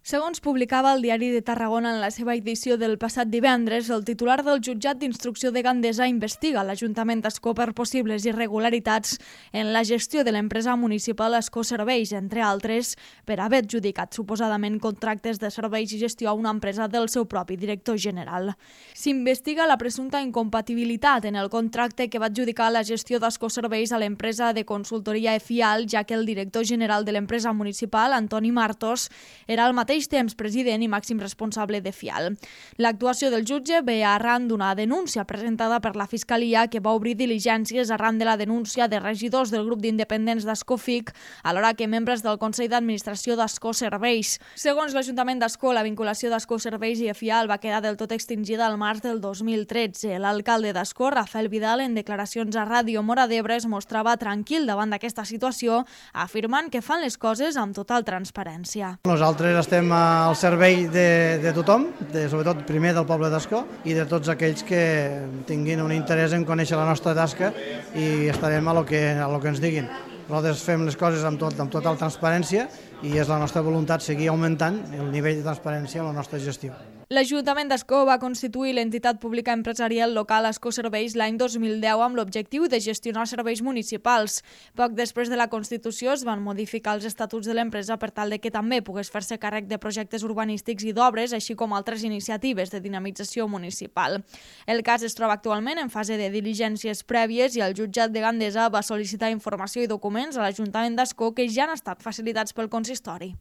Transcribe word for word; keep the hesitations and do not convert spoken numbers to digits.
Segons publicava el Diari de Tarragona en la seva edició del passat divendres, el titular del jutjat d'instrucció de Gandesa investiga l'Ajuntament d'Ascó per possibles irregularitats en la gestió de l'empresa municipal Ascó Serveis, entre altres, per haver adjudicat suposadament contractes de serveis i gestió a una empresa del seu propi director general. S'investiga la presumpta incompatibilitat en el contracte que va adjudicar la gestió d'Ascó Serveis a l'empresa de consultoria EFIAL, ja que el director general de l'empresa municipal, Antoni Martos, era el mateix temps president i màxim responsable de FIAL. L'actuació del jutge ve arran d'una denúncia presentada per la Fiscalia que va obrir diligències arran de la denúncia de regidors del grup d'independents d'Ascofic, alhora que membres del Consell d'Administració d'Ascó Serveis. Segons l'Ajuntament d'Ascó, la vinculació d'Ascó Serveis i FIAL va quedar del tot extingida al març del dos mil tretze. L'alcalde d'Ascó, Rafael Vidal, en declaracions a Ràdio Mora d'Ebre, es mostrava tranquil davant d'aquesta situació, afirmant que fan les coses amb total transparència. Nosaltres estem al servei de, de tothom, de, sobretot primer del poble d'Ascó i de tots aquells que tinguin un interès en conèixer la nostra tasca i estarem a lo que, a lo que ens diguin. Nosaltres fem les coses amb, tot, amb total transparència i és la nostra voluntat seguir augmentant el nivell de transparència en la nostra gestió. L'Ajuntament d'Ascó va constituir l'entitat pública empresarial local Ascó Serveis l'any dos mil deu amb l'objectiu de gestionar serveis municipals. Poc després de la Constitució es van modificar els estatuts de l'empresa per tal de que també pogués fer-se càrrec de projectes urbanístics i d'obres, així com altres iniciatives de dinamització municipal. El cas es troba actualment en fase de diligències prèvies i el jutjat de Gandesa va sol·licitar informació i documents a l'Ajuntament d'Ascó que ja han estat facilitats pel consistori.